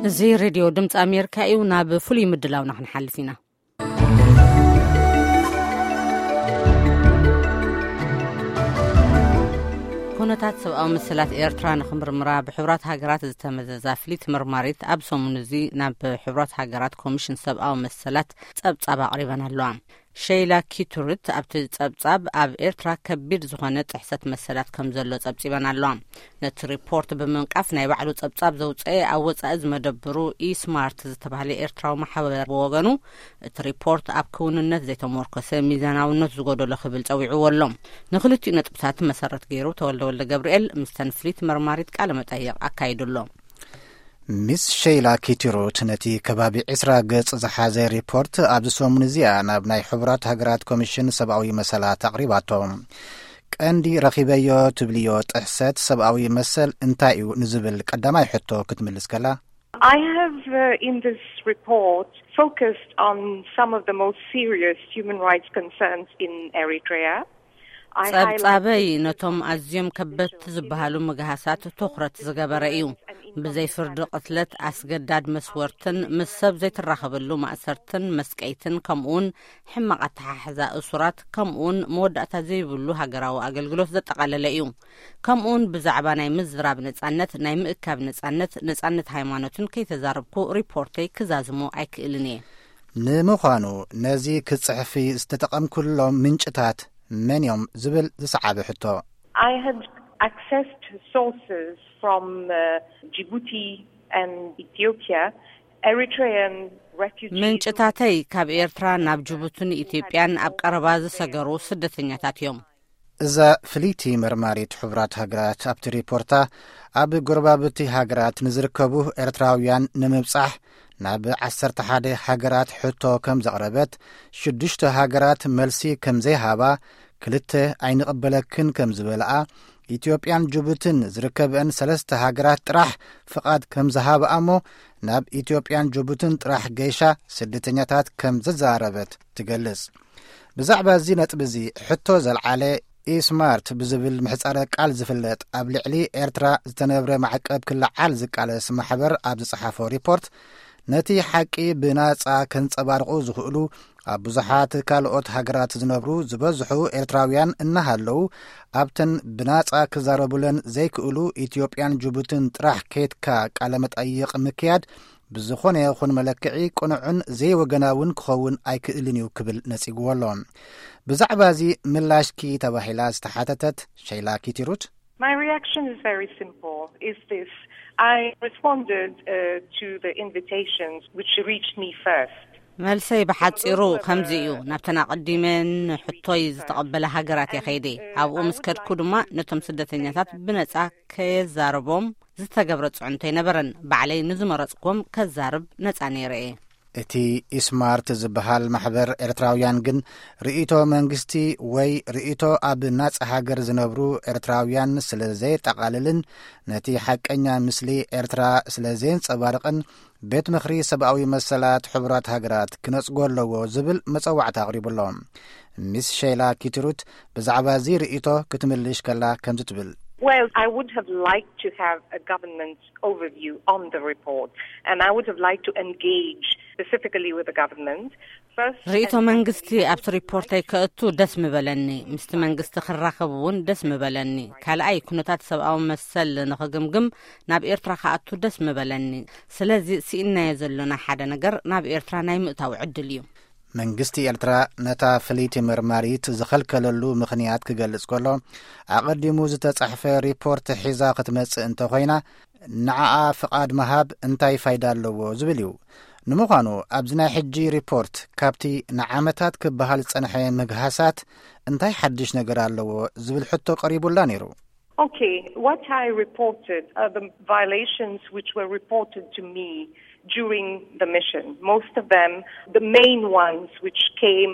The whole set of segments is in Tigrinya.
እዚ ሬድዮ ድምፂ ኣሜሪካ እዩ። ናብ ፍሉይ ምድላውና ክንሓልፍ ኢና። ኩነታት ሰብኣዊ መሰላት ኤርትራ ንክምርምራ ብሕቡራት ሃገራት ዝተመዘዛ ፍሊት መርማሪት ኣብ ሰሙን እዚ ናብ ሕቡራት ሃገራት ኮሚሽን ሰብኣዊ መሰላት ጸብጻብ ኣቕሪበን ኣለዋ። ሸይላ ኪቱርት ኣብቲ ጸብጻብ ኣብ ኤርትራ ከቢድ ዝኾነ ጥሕሰት መሰላት ከም ዘሎ ጸብጺበን ኣለዋ። ነቲ ሪፖርት ብምንቃፍ ናይ ባዕሉ ጸብጻብ ዘውጸኤ ኣብ ወጻኢ ዝመደብሩ ኢስማርት ዝተባህለ ኤርትራዊ ማሕበር ብወገኑ፣ እቲ ሪፖርት ኣብ ክውንነት ዘይተመርኮሰ፣ ሚዛናውነት ዝጎደሎ ክብል ጸዊዕዎ ኣሎ። ንክልቲኡ ነጥብታት መሰረት ገይሩ ተወልደ ወልደ ገብርኤል ምስተን ፍሊት መርማሪት ቃለ መጠይቕ ኣካይዱ ኣሎ። ሚስ ሸይላ ኪቲሩት ነቲ ከባቢ ዕስራ ገጽ ዝሓዘ ሪፖርት ኣብዚ ሰሙን እዚኣ ናብ ናይ ሕቡራት ሃገራት ኮሚሽን ሰብኣዊ መሰላት ኣቕሪባቶ። ቀንዲ ረኺበዮ ትብልዮ ጥሕሰት ሰብኣዊ መሰል እንታይ እዩ ንዝብል ቀዳማይ ሕቶ ክትምልስ ከላ፣ I have, uh, in this report, focused on some of the most serious human rights concerns in Eritrea. I ጸብጻበይ highlighted ነቶም ኣዝዮም ከበድቲ ዝበሃሉ ምግሃሳት ትኹረት ዝገበረ እዩ። ብዘይ ፍርዲ ቅትለት፣ ኣስገዳድ መስወርትን ምስ ሰብ ዘይትራኸበሉ ማእሰርትን መስቀይትን፣ ከምኡውን ሕማቕ ኣተሓሕዛ እሱራት፣ ከምኡውን መወዳእታ ዘይብሉ ሃገራዊ ኣገልግሎት ዘጠቓለለ እዩ። ከምኡውን ብዛዕባ ናይ ምዝራብ ነጻነት፣ ናይ ምእካብ ነጻነት፣ ነጻነት ሃይማኖትን ከይተዛረብኩ ሪፖርተይ ክዛዝሞ ኣይክእልን እየ። ንምዃኑ ነዚ ክጽሕፊ ዝተጠቐምኩሎም ምንጭታት መን እዮም ዝብል ዝሰዓበ ሕቶ። I had access to sources from, uh, Djibouti and Ethiopia, Eritrean refugees. ምንጭታተይ ካብ ኤርትራ ናብ ጅቡትን ኢትዮጵያን ኣብ ቀረባ ዝሰገሩ ስደተኛታት እዮም። እዛ ፍልይቲ መርማሪት ሕቡራት ሃገራት ኣብቲ ሪፖርታ፣ ኣብ ጎረባብቲ ሃገራት ንዝርከቡ ኤርትራውያን ንምብጻሕ ናብ ዓሰርተ ሓደ ሃገራት ሕቶ ከም ዘቕረበት፣ ሽዱሽተ ሃገራት መልሲ ከም ዘይሃባ፣ ክልተ ኣይንቕበለክን ከም ዝበልኣ፣ ኢትዮጵያን ጅቡትን ዝርከበን ሰለስተ ሃገራት ጥራሕ ፍቓድ ከም ዝሃብኣ እሞ፣ ናብ ኢትዮጵያን ጅቡትን ጥራሕ ገይሻ ስደተኛታት ከም ዘዘራረበት ትገልጽ። ብዛዕባ እዚ ነጥቢ እዚ ሕቶ ዘልዓለ፣ ኢስማርት ብዝብል ምሕጻረ ቃል ዝፍለጥ፣ ኣብ ልዕሊ ኤርትራ ዝተነብረ ማዕቀብ ክለዓል ዝቃለስ ማሕበር ኣብ ዝጸሓፎ ሪፖርት፣ ነቲ ሓቂ ብናጻ ከንጸባርቑ ዝኽእሉ ኣብ ብዙሓት ካልኦት ሃገራት ዝነብሩ ዝበዝሑ ኤርትራውያን እናሃለዉ፣ ኣብተን ብናጻ ክዛረቡለን ዘይክእሉ ኢትዮጵያን ጅቡትን ጥራሕ ኬድካ ቃለ መጠይቕ ምክያድ ብዝኾነ ይኹን መለክዒ ቅኑዕን ዘይወገናውን ክኸውን ኣይክእልን እዩ ክብል ነጺግዎ ኣሎ። ብዛዕባ እዚ ምላሽኪ ተባሂላ ዝተሓተተት ሸይላ ኪቲሩት፣ My reaction is very simple. Is this: I responded, uh, to the invitations which reached me first. መልሰይ ብሓጺሩ ከምዚ እዩ። ናብተን ኣቐዲመን ሕቶይ ዝተቐበለ ሃገራት እየ ከይደ። ኣብኡ ምስ ከድኩ ድማ ነቶም ስደተኛታት ብነጻ ከየዛርቦም ዝተገብረ ጽዕንቶ ኣይነበረን። ባዕለይ ንዝመረጽኩም ከዛርብ ነጻ ነይረ እየ። እቲ ኢስማርት ዝበሃል ማሕበር ኤርትራውያን ግን ርእይቶ መንግስቲ ወይ ርእይቶ ኣብ ናጻ ሃገር ዝነብሩ ኤርትራውያን ስለ ዘየጠቓልልን ነቲ ሓቀኛ ምስሊ ኤርትራ ስለ ዘየንጸባርቕን ቤት ምኽሪ ሰብኣዊ መሰላት ሕቡራት ሃገራት ክነጽጎ ኣለዎ ዝብል መጸዋዕታ ኣቕሪቡ ኣሎ። ሚስ ሸይላ ኪትሩት ብዛዕባ እዚ ርእይቶ ክትምልሽ ከላ ከምዚ ትብል። Well, I would have liked to have a government overview on the report, and I would have liked to engage specifically with the government. First, ርእይቶ መንግስቲ ኣብቲ ሪፖርተይ ከእቱ ደስ ምበለኒ። ምስቲ መንግስቲ ክራኸብ እውን ደስ ምበለኒ። ካልኣይ፣ ኩነታት ሰብኣዊ መሰል ንኽግምግም ናብ ኤርትራ ክኣቱ ደስ ምበለኒ። ስለዚ፣ ስኢንናዮ ዘሎና ሓደ ነገር ናብ ኤርትራ ናይ ምእታው ዕድል እዩ። መንግስቲ ኤርትራ ነታ ፍልይቲ መርማሪት ዝኸልከለሉ ምኽንያት ክገልጽ ከሎ፣ ኣቐዲሙ ዝተጻሕፈ ሪፖርት ሒዛ ክትመጽእ እንተኾይና፣ ንዓኣ ፍቓድ ምሃብ እንታይ ፋይዳ ኣለዎ ዝብል እዩ። ንምዃኑ፣ ኣብዚ ናይ ሕጂ ሪፖርት ካብቲ ንዓመታት ክበሃል ዝጸንሐ ምግሃሳት እንታይ ሓድሽ ነገር ኣለዎ ዝብል ሕቶ ቀሪቡላ ነይሩ። Okay, what I reported are the violations which were reported to me during the mission. Most of them, the main ones which came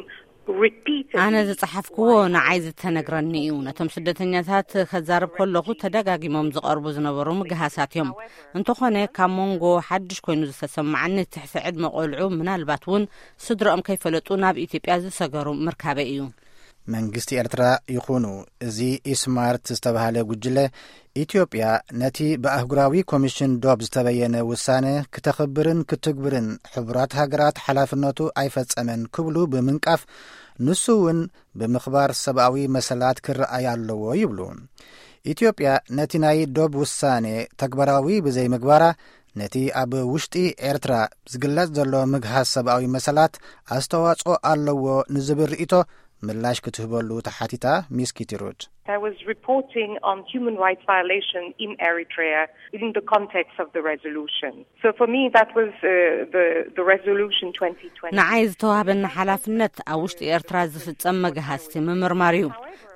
repeatedly. ኣነ ዝጸሓፍክዎ ንዓይ ዝተነግረኒ እዩ። ነቶም ስደተኛታት ከዛርብ ከለኹ ተደጋጊሞም ዝቐርቡ ዝነበሩ ምግሃሳት እዮም። እንተኾነ፣ ካብ መንጎ ሓድሽ ኮይኑ ዝተሰማዓኒ፣ ትሕቲ ዕድመ ቆልዑ፣ ምናልባት እውን ስድረኦም ከይፈለጡ ናብ ኢትዮጵያ ዝሰገሩ ምርካበይ እዩ። መንግስቲ ኤርትራ ይኹኑ እዚ ኢስማርት ዝተባህለ ጉጅለ፣ ኢትዮጵያ ነቲ ብኣህጉራዊ ኮሚሽን ዶብ ዝተበየነ ውሳነ ክተኽብርን ክትግብርን ሕቡራት ሃገራት ሓላፍነቱ ኣይፈጸመን ክብሉ ብምንቃፍ፣ ንሱ እውን ብምኽባር ሰብኣዊ መሰላት ክረኣይ ኣለዎ ይብሉ። ኢትዮጵያ ነቲ ናይ ዶብ ውሳኔ ተግባራዊ ብዘይምግባራ፣ ነቲ ኣብ ውሽጢ ኤርትራ ዝግለጽ ዘሎ ምግሃስ ሰብኣዊ መሰላት ኣስተዋጽኦ ኣለዎ ንዝብል ርእይቶ ምላሽ ክትህበሉ ተሓቲታ ሚስ ኪቲሩት። I was reporting on human rights violation in Eritrea in the context of the resolution. So for me, that was uh, the, the resolution twenty twenty. ንዓይ ዝተዋህበኒ ሓላፍነት ኣብ ውሽጢ ኤርትራ ዝፍጸም መግሃስቲ ምምርማር እዩ።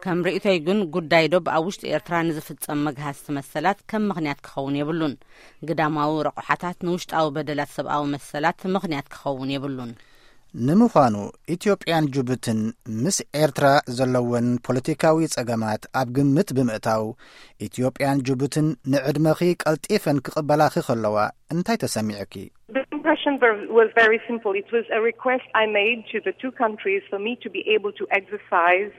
ከም ርእይቶይ ግን፣ ጉዳይ ዶብ ኣብ ውሽጢ ኤርትራ ንዝፍጸም መግሃስቲ መሰላት ከም ምኽንያት ክኸውን የብሉን። ግዳማዊ ረቑሓታት ንውሽጣዊ በደላት ሰብኣዊ መሰላት ምኽንያት ክኸውን የብሉን። ንምዃኑ፣ ኢትዮጵያን ጅቡትን ምስ ኤርትራ ዘለወን ፖለቲካዊ ጸገማት ኣብ ግምት ብምእታው፣ ኢትዮጵያን ጅቡትን ንዕድመኺ ቀልጢፈን ክቕበላኺ ከለዋ እንታይ ተሰሚዑኪ? The impression ver- was very simple. It was a request I made to the two countries for me to be able to exercise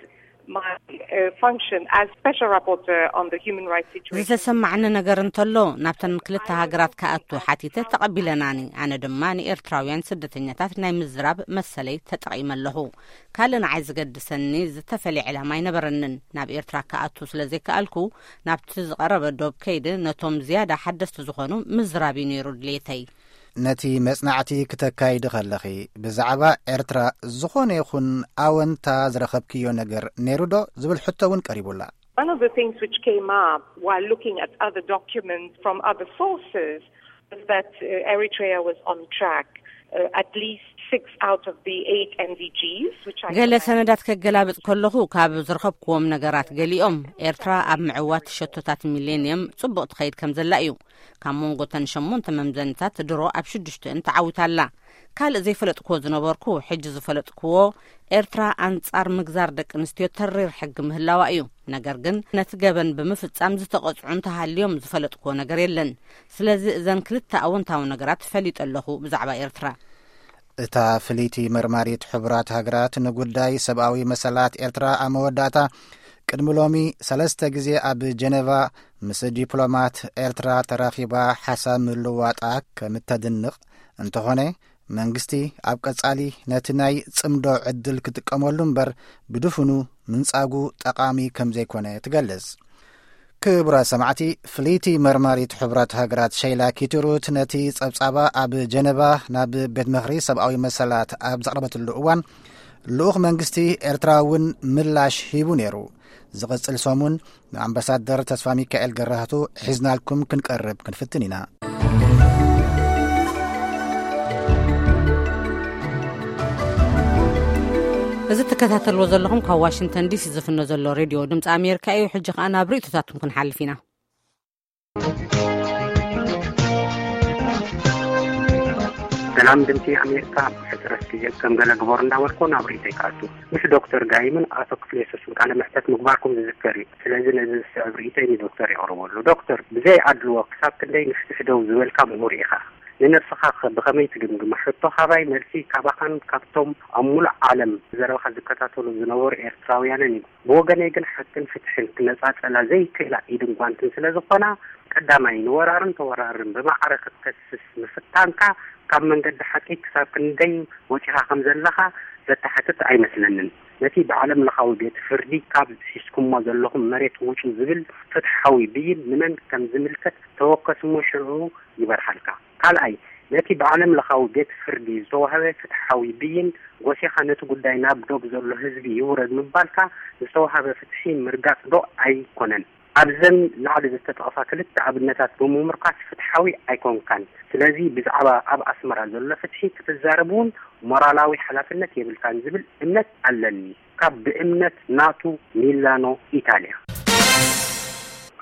my uh, function as special rapporteur on the human rights situation. ዝተሰማዕኒ ነገር እንተሎ፣ ናብተን ክልተ ሃገራት ክኣቱ ሓቲተ፣ ተቐቢለናኒ። ኣነ ድማ ንኤርትራውያን ስደተኛታት ናይ ምዝራብ መሰለይ ተጠቒመ ኣለኹ። ካልእ ንዓይ ዝገድሰኒ ዝተፈልየ ዕላማ ኣይነበረንን። ናብ ኤርትራ ክኣቱ ስለ ዘይከኣልኩ፣ ናብቲ ዝቐረበ ዶብ ከይደ፣ ነቶም ዝያዳ ሓደስቲ ዝኾኑ ምዝራብ እዩ ነይሩ ድሌተይ። ነቲ መጽናዕቲ ክተካይዲ ከለኺ፣ ብዛዕባ ኤርትራ ዝኾነ ይኹን ኣወንታ ዝረኸብክዮ ነገር ነይሩ ዶ ዝብል ሕቶ እውን ቀሪቡላ። One of the things which came up while looking at other documents from other sources was that uh, Eritrea was on track, uh, at least six out of the eight M D Gs, which I ገለ ሰነዳት ከገላብጥ ከለኹ፣ ካብ ዝረኸብክዎም ነገራት ገሊኦም፣ ኤርትራ ኣብ ምዕዋት ሸቶታት ሚሌንየም ጽቡቕ ትኸይድ ከም ዘላ እዩ። ካብ መንጎ ተን ሸሞንተ መምዘንታት ድሮ ኣብ ሽዱሽተን ተዓዊታ ኣላ። ካልእ ዘይፈለጥክዎ ዝነበርኩ፣ ሕጂ ዝፈለጥክዎ፣ ኤርትራ ኣንጻር ምግዛር ደቂ ኣንስትዮ ተሪር ሕጊ ምህላዋ እዩ። ነገር ግን፣ ነቲ ገበን ብምፍጻም ዝተቐጽዑ እንተሃልዮም ዝፈለጥክዎ ነገር የለን። ስለዚ፣ እዘን ክልተ ኣወንታዊ ነገራት ፈሊጠ ኣለኹ ብዛዕባ ኤርትራ። እታ ፍልይቲ መርማሪት ሕቡራት ሃገራት ንጉዳይ ሰብኣዊ መሰላት ኤርትራ ኣብ መወዳእታ፣ ቅድሚ ሎሚ ሰለስተ ግዜ ኣብ ጀነቫ ምስ ዲፕሎማት ኤርትራ ተራኺባ ሓሳብ ምልዋጣ ከም እተድንቕ፣ እንተኾነ መንግስቲ ኣብ ቀጻሊ ነቲ ናይ ጽምዶ ዕድል ክጥቀመሉ እምበር፣ ብድፍኑ ምንጻጉ ጠቓሚ ከም ዘይኮነ ትገልጽ። ክቡራት ሰማዕቲ፣ ፍልይቲ መርማሪት ሕቡራት ሃገራት ሸይላ ኪትሩት ነቲ ጸብጻባ ኣብ ጀነቫ ናብ ቤት ምኽሪ ሰብኣዊ መሰላት ኣብ ዘቕረበትሉ እዋን፣ ልኡኽ መንግስቲ ኤርትራ እውን ምላሽ ሂቡ ነይሩ። ዝቕጽል ሰሙን ንኣምባሳደር ተስፋ ሚካኤል ገራህቱ ሒዝናልኩም ክንቀርብ ክንፍትን ኢና። እዚ ትከታተልዎ ዘለኹም ካብ ዋሽንግተን ዲሲ ዝፍኖ ዘሎ ሬድዮ ድምፂ ኣሜሪካ እዩ። ሕጂ ከኣ ናብ ርእይቶታትኩም ክንሓልፍ ኢና። ሰላም ድምፂ ኣሜሪካ። ሕፅረት ግዜ ከም ገለ ግበሩ እንዳበልኩ ናብ ርእይቶይ ክኣቱ። ምስ ዶክተር ጋይምን ኣቶ ክፍለ የሱስን ቃለ መሕተት ምግባርኩም ዝዝከር እዩ። ስለዚ ነዚ ዝስዕብ ርእይቶይ ንዶክተር የቕርበሉ። ዶክተር፣ ብዘይ ኣድልዎ ክሳብ ክንደይ ንፍትሒ ደው ዝበልካ ምሁር ኢኻ። ንነብስኻ ከ ብኸመይ ትግምግማ? ሕቶ ሃባይ፣ መልሲ ካባኻን ካብቶም ኣብ ሙሉእ ዓለም ዘረባኻ ዝከታተሉ ዝነበሩ ኤርትራውያንን እዩ። ብወገነይ ግን ሓቅን ፍትሕን ክነጻጸላ ዘይክእላ ኢድን ጓንትን ስለ ዝኾና፣ ቀዳማይ ንወራርን ተወራርን ብማዕረ ክትከስስ ምፍታንካ ካብ መንገዲ ሓቂ ክሳብ ክንደይ ወጺኻ ከም ዘለኻ ዘተሓትት ኣይመስለንን። ነቲ ብዓለም ለኻዊ ቤት ፍርዲ ካብ ሒዝኩሞ ዘለኹም መሬት ውጹ ዝብል ፍትሓዊ ብይን ንመን ከም ዝምልከት ተወከስ እሞ ሽዑ ይበርሃልካ። ካልኣይ፣ ነቲ ብዓለም ለኻዊ ቤት ፍርዲ ዝተዋህበ ፍትሓዊ ብይን ጎሲኻ ነቲ ጉዳይ ናብ ዶብ ዘሎ ህዝቢ ይውረድ ምባልካ ዝተዋህበ ፍትሒ ምርጋጽ ዶ ኣይኮነን? ኣብዘን ላዕሊ ዝተጠቕሳ ክልተ ኣብነታት ብምምርኳስ ፍትሓዊ ኣይኮንካን። ስለዚ ብዛዕባ ኣብ ኣስመራ ዘሎ ፍትሒ ክትዛረብ እውን ሞራላዊ ሓላፍነት የብልካን ዝብል እምነት ኣለኒ። ካብ ብእምነት ናቱ ሚላኖ ኢታልያ።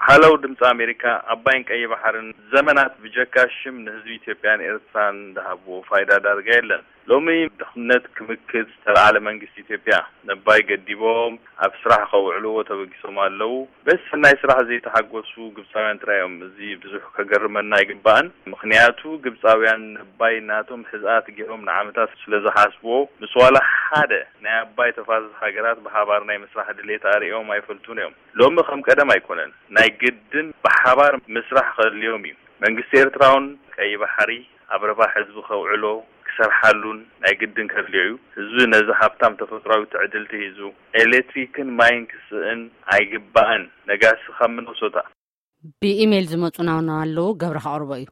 ሃለው ድምፂ ኣሜሪካ፣ ኣባይን ቀይ ባሕርን ዘመናት ብጀካ ሽም ንህዝቢ ኢትዮጵያን ኤርትራን ዝሃብዎ ፋይዳ ዳርጋ የለን። ሎሚ ድኽነት ክምክት ዝተለዓለ መንግስቲ ኢትዮጵያ፣ ነባይ ገዲቦም ኣብ ስራሕ ከውዕልዎ ተበጊሶም ኣለዉ። በዚ ሰናይ ስራሕ ዘይተሓጎሱ ግብፃውያን ጥራይ እዮም። እዚ ብዙሕ ከገርመና ኣይግባእን። ምኽንያቱ ግብፃውያን ነባይ ናቶም ሕዝኣት ገይሮም ንዓመታት ስለ ዝሓስብዎ፣ ምስ ዋላ ሓደ ናይ ኣባይ ተፋሰስ ሃገራት ብሓባር ናይ ምስራሕ ድሌት ኣርእዮም ኣይፈልጡን እዮም። ሎሚ ከም ቀደም ኣይኮነን። ናይ ግድን ብሓባር ምስራሕ ከድልዮም እዩ። መንግስቲ ኤርትራውን ቀይ ባሕሪ ኣብ ረባሕ ህዝቢ ከውዕሎ ክሰርሓሉን ናይ ግድን ከድልዮ እዩ። ህዝቢ ነዚ ሃብታም ተፈጥራዊ ትዕድልቲ ሂዙ ኤሌክትሪክን ማይን ክስእን ኣይግባእን። ነጋሲ ካብ ሚነሶታ። ብኢሜይል ዝመጹና ኣለዉ፣ ገብረ ከቕርቦ እዩ።